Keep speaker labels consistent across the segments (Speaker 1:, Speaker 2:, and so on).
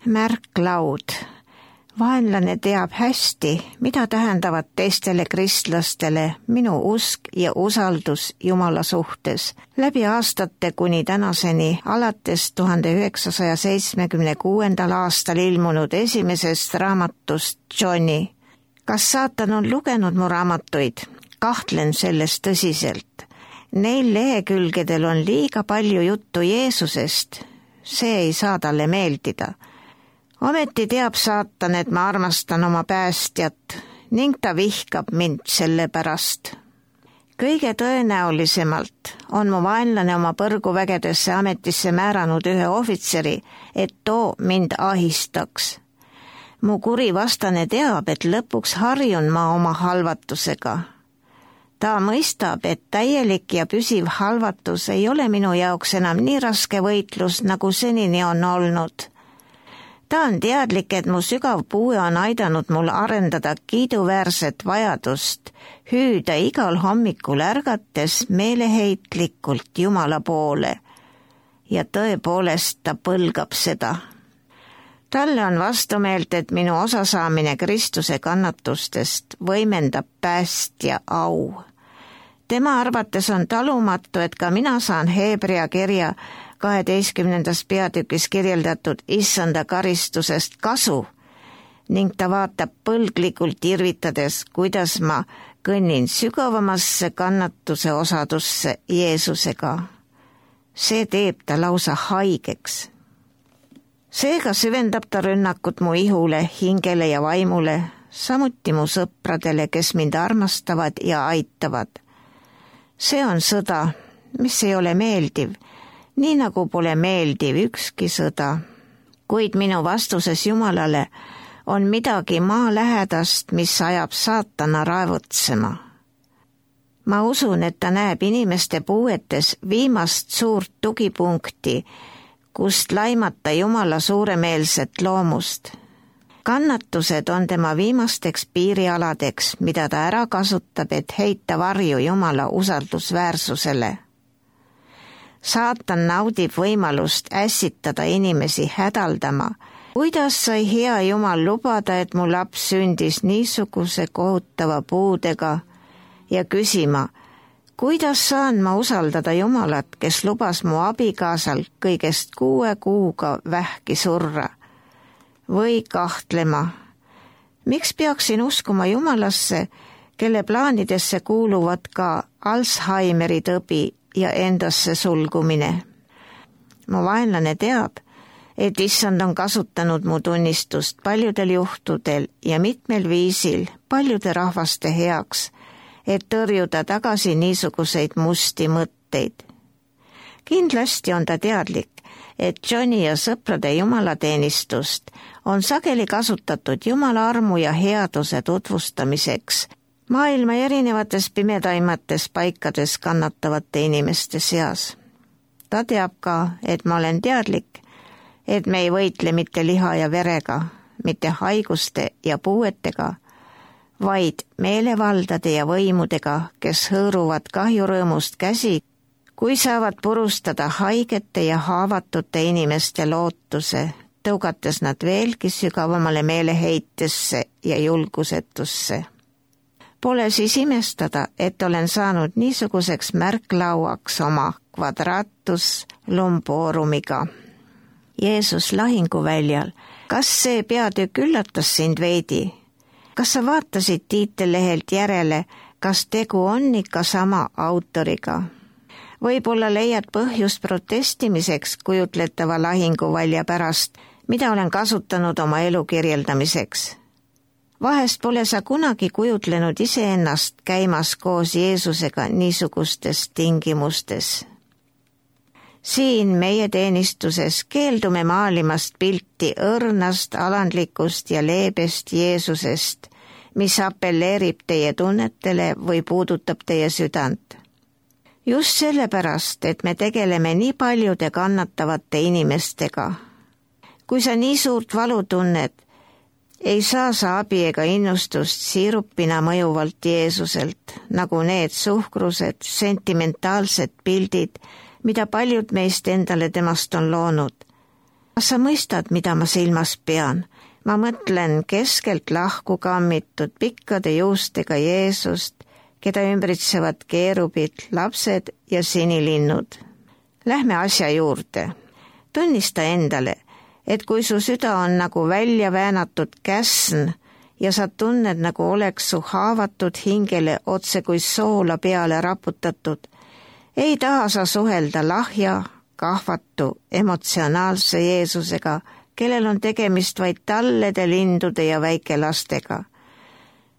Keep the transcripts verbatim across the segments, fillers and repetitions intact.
Speaker 1: Märklaud. Vaenlane teab hästi, mida tähendavad teistele kristlastele minu usk ja usaldus Jumala suhtes. Läbi aastate kuni tänaseni, alates tuhande üheksasaja seitsmekümne kuuendal aastal ilmunud esimesest raamatust Johnny. Kas saatan on lugenud mu raamatuid? Kahtlen selles tõsiselt. Neil lehekülgedel on liiga palju juttu Jeesusest. See ei saa talle meeldida. Ometi teab saatan, et ma armastan oma päästjat ning ta vihkab mind selle pärast. Kõige tõenäolisemalt on mu vaenlane oma põrguvägedesse ametisse määranud ühe ohvitseri, et too mind ahistaks. Mu kuri vastane teab, et lõpuks harjun ma oma halvatusega. Ta mõistab, et täielik ja püsiv halvatus ei ole minu jaoks enam nii raske võitlus, nagu senini on olnud. Ta on teadlik, et mu sügav puue on aidanud mul arendada kiiduväärset vajadust, hüüda igal hommikul ärgates meeleheitlikult Jumala poole. Ja tõepoolest ta põlgab seda. Talle on vastumeelt, et minu osasaamine Kristuse kannatustest võimendab päästja au. Tema arvates on talumatu, et ka mina saan Heebrea kirja kaheteistkümnendas peatükis kirjeldatud issanda karistusest kasu ning ta vaatab põlglikult irvitades, kuidas ma kõnnin sügavamasse kannatuse osadusse Jeesusega. See teeb ta lausa haigeks. Seega süvendab ta rünnakut mu ihule, hingele ja vaimule, samuti mu sõpradele, kes mind armastavad ja aitavad. See on sõda, mis ei ole meeldiv, nii nagu pole meeldiv ükski sõda. Kuid minu vastuses Jumalale on midagi maalähedast, mis ajab saatana raevutsema. Ma usun, et ta näeb inimeste puuetes viimast suurt tugipunkti, kust laimata Jumala suuremeelset loomust. Kannatused on tema viimasteks piirialadeks, mida ta ära kasutab, et heita varju Jumala usaldusväärsusele. Saatan naudib võimalust ässitada inimesi hädaldama. Kuidas sai hea Jumal lubada, et mu laps sündis niisuguse kohutava puudega ja küsima, kuidas saan ma usaldada Jumalat, kes lubas mu abikaasal kõigest kuue kuuga vähki surra? Või kahtlema, miks peaksin uskuma Jumalasse, kelle plaanidesse kuuluvad ka Alzheimeri tõbi ja endasse sulgumine? Mu vaenlane teab, et issand on kasutanud mu tunnistust paljudel juhtudel ja mitmel viisil paljude rahvaste heaks, et tõrjuda tagasi niisuguseid musti mõtteid. Kindlasti on ta teadlik, et Johnny ja sõprade jumalateenistust on sageli kasutatud Jumala armu ja headuse tutvustamiseks maailma erinevates pimedaimates paikades kannatavate inimeste seas. Ta teab ka, et ma olen teadlik, et me ei võitle mitte liha ja verega, mitte haiguste ja puuetega, vaid meelevaldade ja võimudega, kes hõõruvad kahjurõõmust käsi, kui saavad purustada haigete ja haavatute inimeste lootuse, tõugates nad veelgi sügavamale meeleheitesse ja julgusetusse. Pole siis imestada, et olen saanud niisuguseks märklauaks oma quadratus lumboorumiga. Jeesus lahinguväljal, kas see peatükk üllatas sind veidi? Kas sa vaatasid tiitellehelt järele, kas tegu on ikka sama autoriga? Võib-olla leiad põhjust protestimiseks kujutletava lahinguvälja pärast, mida olen kasutanud oma elu kirjeldamiseks. Vahest pole sa kunagi kujutlenud iseennast käimas koos Jeesusega niisugustes tingimustes. Siin meie teenistuses keeldume maalimast pilti õrnast, alandlikust ja leebest Jeesusest, mis appelleerib teie tunnetele või puudutab teie südant. Just sellepärast, et me tegeleme nii paljude kannatavate inimestega. Kui sa nii suurt valu tunned, ei saa sa abi ega innustust siirupina mõjuvalt Jeesuselt, nagu need suhkrused, sentimentaalsed pildid, mida paljud meist endale temast on loonud. kas sa mõistad, mida ma silmas pean? Ma mõtlen keskelt lahku kammitud pikkade juustega Jeesust, keda ümbritsevad keerubid, lapsed ja sinilinnud. Lähme asja juurde. Tunnista endale, et kui su süda on nagu välja väänatud käsn ja sa tunned, nagu oleks su haavatud hingele otse kui soola peale raputatud, ei taha sa suhelda lahja, kahvatu, emotsionaalse Jeesusega, kellel on tegemist vaid tallede, lindude ja väikelastega.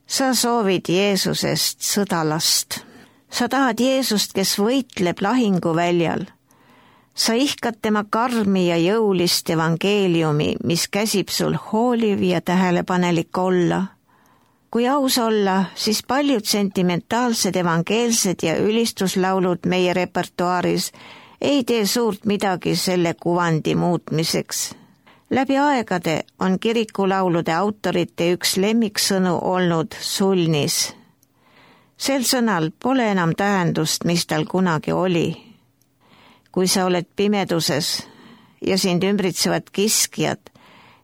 Speaker 1: Sa soovid Jeesusest sõdalast. Sa tahad Jeesust, kes võitleb lahinguväljal. Sa ihkad tema karmi ja jõulist evangeeliumi, mis käsib sul hooliv ja tähelepanelik olla. Kui aus olla, siis paljud sentimentaalsed evangeelsed ja ülistuslaulud meie repertuaaris ei tee suurt midagi selle kuvandi muutmiseks. Läbi aegade on kirikulaulude autorite üks lemmiksõnu olnud sulnis. Sel sõnal pole enam tähendust, mis tal kunagi oli. Kui sa oled pimeduses ja sind ümbritsevad kiskjad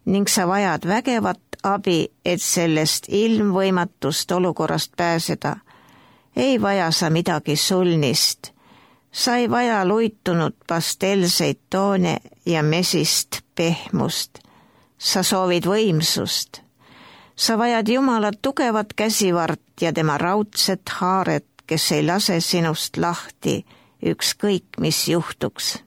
Speaker 1: ning sa vajad vägevat abi, et sellest ilmvõimatust olukorrast pääseda, ei vaja sa midagi sulnist. Sa ei vaja luitunud pastelseid toone ja mesist pehmust. Sa soovid võimsust. Sa vajad Jumala tugevat käsivart ja tema raudset haaret, kes ei lase sinust lahti, ükskõik mis juhtuks.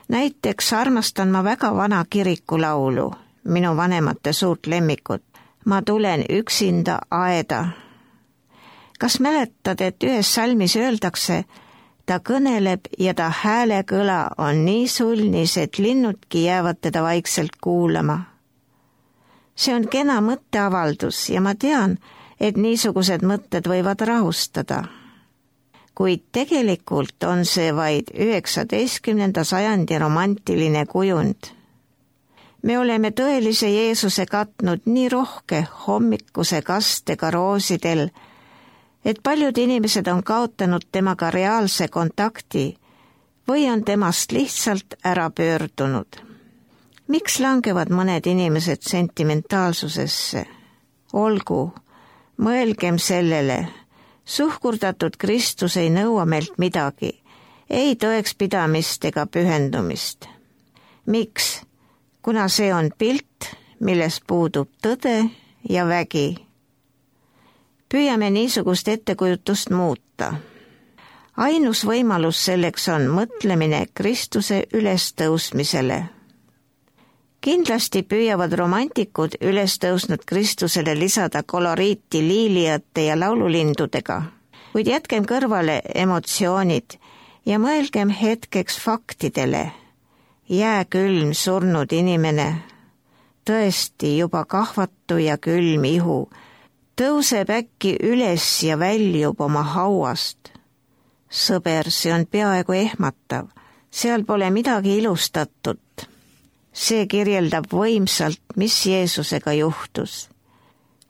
Speaker 1: Näiteks armastan ma väga vana kirikulaulu, minu vanemate suurt lemmikut. Ma tulen üksinda aeda. Kas mäletad, et ühes salmis öeldakse, ta kõneleb ja ta häälekõla on nii sulnis, et linnudki jäävad teda vaikselt kuulama. See on kena mõtteavaldus ja ma tean, et niisugused mõtted võivad rahustada. Kuid tegelikult on see vaid üheksateistkümnenda sajandi romantiline kujund. Me oleme tõelise Jeesuse katnud nii rohke hommikuse kastega roosidel, et paljud inimesed on kaotanud temaga reaalse kontakti või on temast lihtsalt ära pöördunud. Miks langevad mõned inimesed sentimentaalsusesse? Olgu, mõelgem sellele. Suhkurdatud Kristus ei nõua meilt midagi, ei tõekspidamist ega pühendumist. Miks? Kuna see on pilt, milles puudub tõde ja vägi. Püüame niisugust ettekujutust muuta. Ainus võimalus selleks on mõtlemine Kristuse ülestõusmisele. Kindlasti püüavad romantikud ülestõusnud Kristusele lisada koloriiti liiliate ja laululindudega, kuid jätkem kõrvale emotsioonid ja mõelgem hetkeks faktidele. Jääkülm surnud inimene, tõesti juba kahvatu ja külm ihu, tõuseb äkki üles ja väljub oma hauast. Sõber, see on peaaegu ehmatav, seal pole midagi ilustatud. See kirjeldab võimsalt, mis Jeesusega juhtus.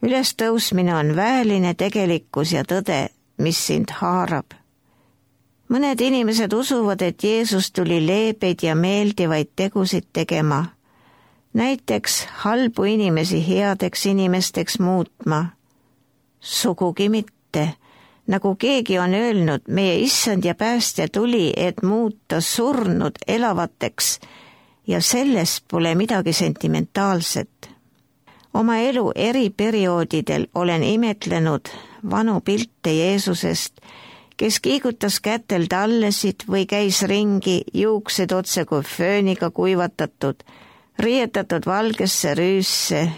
Speaker 1: Ülestõusmine on väeline tegelikkus ja tõde, mis sind haarab. Mõned inimesed usuvad, et Jeesus tuli leebeid ja meeldivaid tegusid tegema. Näiteks halbu inimesi headeks inimesteks muutma. Sugugi mitte. Nagu keegi on öelnud, meie issand ja päästja tuli, et muuta surnud elavateks, ja selles pole midagi sentimentaalset. Oma elu eri perioodidel olen imetlenud vanu pilte Jeesusest, kes kiigutas kätel tallesid või käis ringi, juuksed otse kui fööniga kuivatatud, riietatud valgesse rüüsse,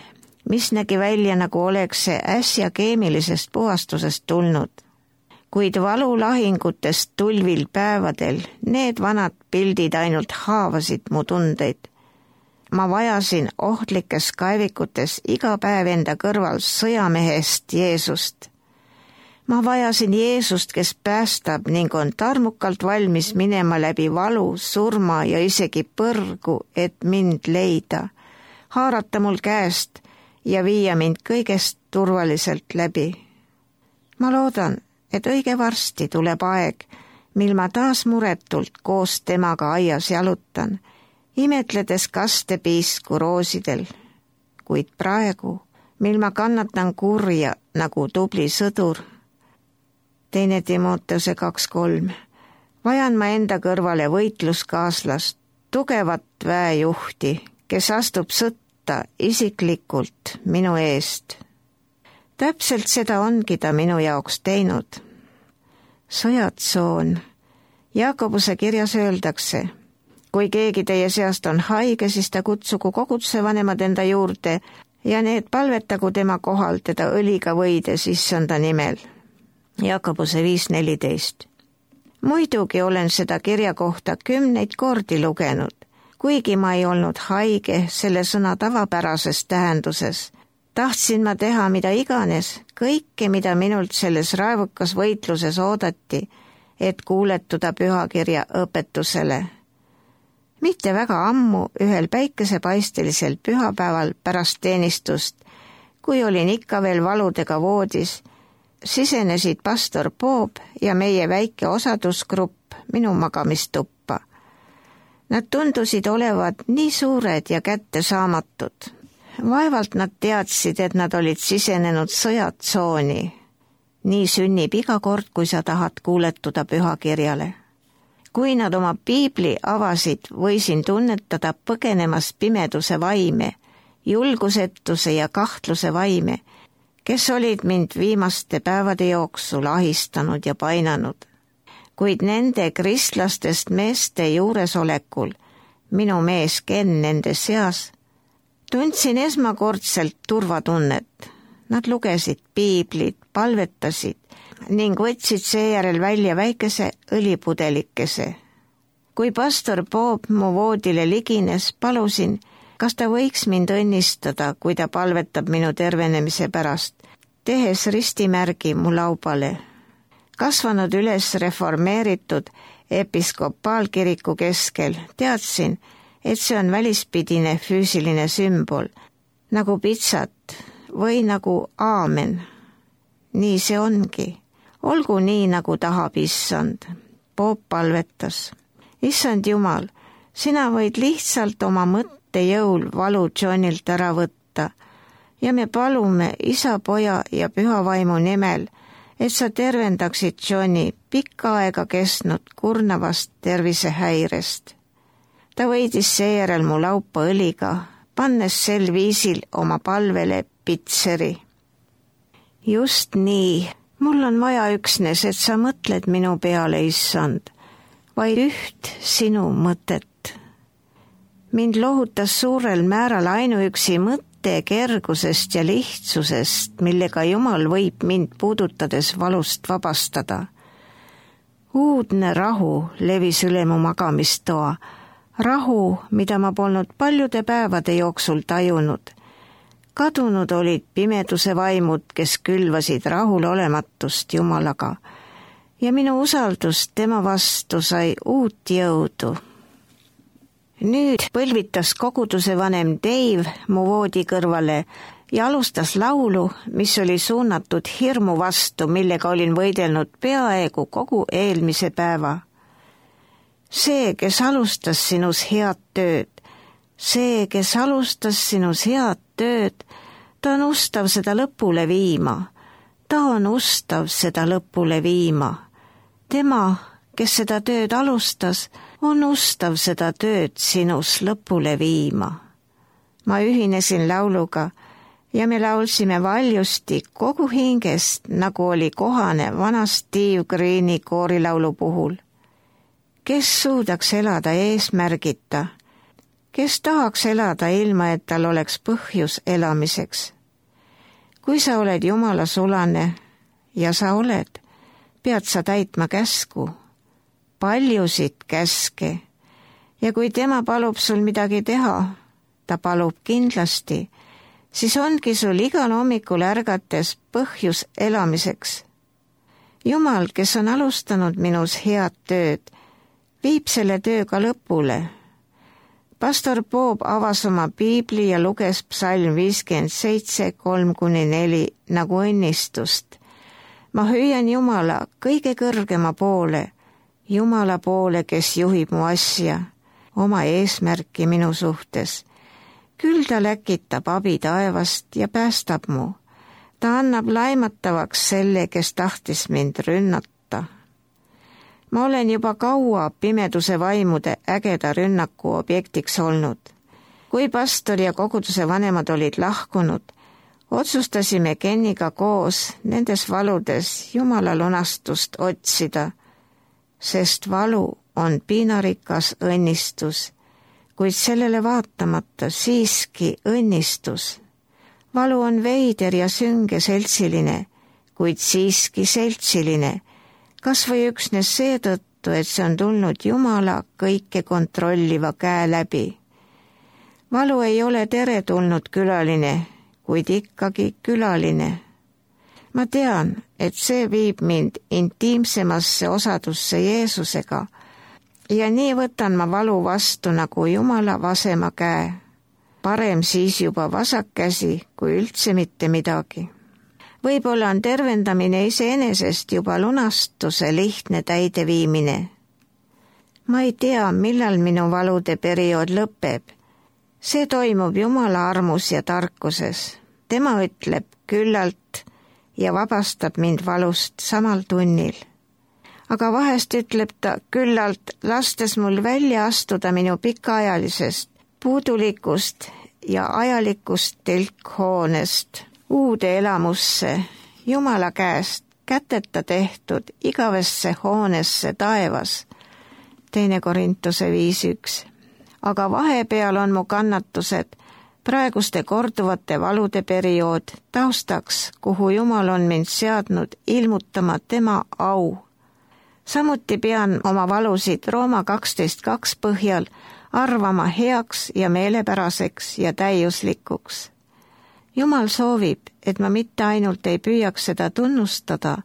Speaker 1: mis nägi välja, nagu oleks see äsja keemilisest puhastusest tulnud. Kuid valulahingutest tulvil päevadel need vanad pildid ainult haavasid mu tundeid. Ma vajasin ohtlikes kaevikutes iga päev enda kõrval sõjamehest Jeesust. Ma vajasin Jeesust, kes päästab ning on tarmukalt valmis minema läbi valu, surma ja isegi põrgu, et mind leida, haarata mul käest ja viia mind kõigest turvaliselt läbi. Ma loodan, et õige varsti tuleb aeg, mil ma taas muretult koos temaga aias jalutan imetledes kastepiisku roosidel, kuid praegu, mil ma kannatan kurja nagu tubli sõdur, teine Timoteuse kaks kolm, vajan ma enda kõrvale võitluskaaslast, tugevat väejuhti, kes astub sõtta isiklikult minu eest. Täpselt seda ongi ta minu jaoks teinud. Sõjatsoon. Jaakobuse kirjas öeldakse, kui keegi teie seast on haige, siis ta kutsugu koguduse vanemad enda juurde ja need palvetagu tema kohal teda õliga võides issanda nimel. Jaakobuse viis neliteist. Muidugi olen seda kirja kohta kümneid kordi lugenud, kuigi ma ei olnud haige selle sõna tavapärases tähenduses. Tahtsin ma teha mida iganes, kõike, mida minult selles raevukas võitluses oodati, et kuuletuda pühakirja õpetusele. Mitte väga ammu ühel päikesepaistelisel pühapäeval pärast teenistust, kui olin ikka veel valudega voodis, sisenesid pastor Bob ja meie väike osadusgrupp minu magamistuppa. Nad tundusid olevat nii suured ja kättesaamatud. Vaevalt nad teadsid, et nad olid sisenenud sõjatsooni. Nii sünnib iga kord, kui sa tahad kuuletuda pühakirjale. Kui nad oma piibli avasid, võisin tunnetada põgenemas pimeduse vaime, julgusetuse ja kahtluse vaime, kes olid mind viimaste päevade jooksul ahistanud ja painanud. Kuid nende kristlastest meeste juuresolekul, minu mees Ken nende seas, tundsin esmakordselt turvatunnet. Nad lugesid piiblit, palvetasid ning võtsid seejärel välja väikese õlipudelikese. Kui pastor Bob mu voodile ligines, palusin, kas ta võiks mind õnnistada, kui ta palvetab minu tervenemise pärast, tehes ristimärgi mu laubale. Kasvanud üles reformeeritud episkopaalkiriku keskel, teadsin, et see on välispidine füüsiline sümbol, nagu pitsat või nagu aamen. Nii see ongi. Olgu nii, nagu tahab issand. Bob palvetas. Issand Jumal, sina võid lihtsalt oma mõtte jõul valu Johnilt ära võtta ja me palume isa, poja ja püha vaimu nimel, et sa tervendaksid Johni pikka aega kestnud kurnavast tervisehäirest. Ta võidis seejärel mu laupa õliga, pannes sel viisil oma palvele pitseri. Just nii, mul on vaja üksnes, et sa mõtled minu peale, issand, vaid üht sinu mõtet. Mind lohutas suurel määral ainuüksi mõtte kergusest ja lihtsusest, millega Jumal võib mind puudutades valust vabastada. Uudne rahu levis üle mu magamistoa, rahu, mida ma polnud paljude päevade jooksul tajunud. Kadunud olid pimeduse vaimud, kes külvasid rahulolematust Jumalaga ja minu usaldus tema vastu sai uut jõudu. Nüüd põlvitas koguduse vanem Dave mu voodi kõrvale ja alustas laulu, mis oli suunatud hirmu vastu, millega olin võidelnud peaaegu kogu eelmise päeva. See, kes alustas sinus head tööd, see, kes alustas sinus head tööd, ta on ustav seda lõpule viima. Ta on ustav seda lõpule viima. Tema, kes seda tööd alustas, on ustav seda tööd sinus lõpule viima. Ma ühinesin lauluga ja me laulsime valjusti kogu hingest, nagu oli kohane vana Steve Greeni koorilaulu puhul. Kes suudaks elada eesmärgita? Kes tahaks elada ilma, et tal oleks põhjus elamiseks? Kui sa oled Jumala sulane, ja sa oled, pead sa täitma käsku, paljusid käske, ja kui tema palub sul midagi teha, ta palub kindlasti, siis ongi sul igal hommikul ärgates põhjus elamiseks. Jumal, kes on alustanud minus head tööd, viib selle tööga lõpule. Pastor Bob avas oma piibli ja luges psalm viiskümmend seitse, kolm kuni neli nagu õnnistust. Ma hüüan Jumala kõige kõrgema poole, Jumala poole, kes juhib mu asja. oma eesmärki minu suhtes. Küll ta läkitab abi taevast ja päästab mu. Ta annab laimatavaks selle, kes tahtis mind rünnata. Ma olen juba kaua pimeduse vaimude ägeda rünnaku objektiks olnud. Kui pastor ja koguduse vanemad olid lahkunud, otsustasime Kenniga koos nendes valudes Jumala lunastust otsida, sest valu on piinarikas õnnistus, kuid sellele vaatamata siiski õnnistus. Valu on veider ja sünge seltsiline, kuid siiski seltsiline, kas või üksnes seetõttu, et see on tulnud Jumala kõike kontrolliva käe läbi. Valu ei ole teretulnud külaline, kuid ikkagi külaline. Ma tean, et see viib mind intiimsemasse osadusse Jeesusega ja nii võtan ma valu vastu nagu Jumala vasema käe. Parem siis juba vasak käsi, kui üldse mitte midagi. Võib-olla on tervendamine iseenesest juba lunastuse lihtne täideviimine. Ma ei tea, millal minu valude periood lõpeb. See toimub Jumala armus ja tarkuses. Tema ütleb küllalt ja vabastab mind valust samal tunnil. Aga vahest ütleb ta küllalt, lastes mul välja astuda minu pikaajalisest puudulikust ja ajalikust telkhoonest uude elamusse, Jumala käest käteta tehtud igavesse hoonesse taevas. Teine Korintuse viis üks. Aga vahepeal on mu kannatused, praeguste korduvate valude periood taustaks, kuhu Jumal on mind seadnud ilmutama tema au. Samuti pean oma valusid Rooma kaksteist kaks põhjal arvama heaks ja meelepäraseks ja täiuslikuks. Jumal soovib, et ma mitte ainult ei püüaks seda tunnustada,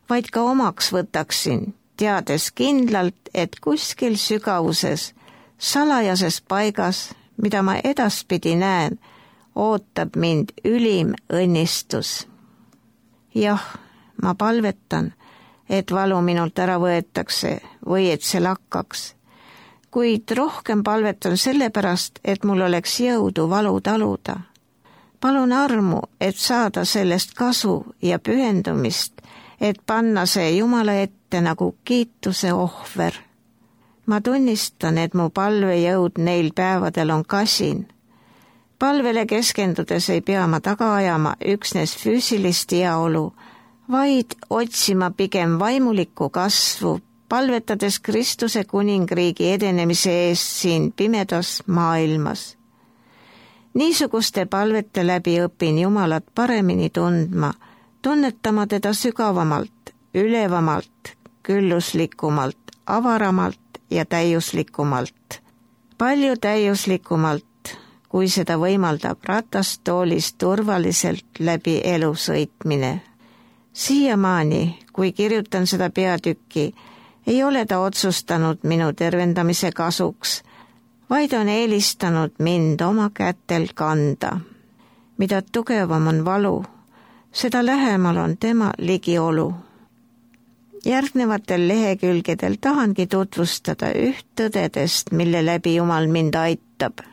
Speaker 1: vaid ka omaks võtaksin, teades kindlalt, et kuskil sügavuses, salajases paigas, mida ma edaspidi näen, ootab mind ülim õnnistus. Jah, ma palvetan, et valu minult ära võetakse või et see lakkaks, kuid rohkem palvetan sellepärast, et mul oleks jõudu valu taluda. Palun armu, et saada sellest kasu ja pühendumist, et panna see Jumala ette nagu kiituse ohver. Ma tunnistan, et mu palvejõud neil päevadel on kasin. Palvele keskendudes ei pea ma taga ajama üksnes füüsilist heaolu, vaid otsima pigem vaimulikku kasvu, palvetades Kristuse kuningriigi edenemise eest siin pimedas maailmas. Niisuguste palvete läbi õpin Jumalat paremini tundma, tunnetama teda sügavamalt, ülevamalt, külluslikumalt, avaramalt ja täiuslikumalt. Palju täiuslikumalt, kui seda võimaldab ratastoolis turvaliselt läbi elu sõitmine. Siiamaani, kui kirjutan seda peatükki, ei ole ta otsustanud minu tervendamise kasuks, vaid on eelistanud mind oma kätel kanda. Mida tugevam on valu, seda lähemal on tema ligiolu. Järgnevatel lehekülgedel tahangi tutvustada üht tõdedest, mille läbi Jumal mind aitab.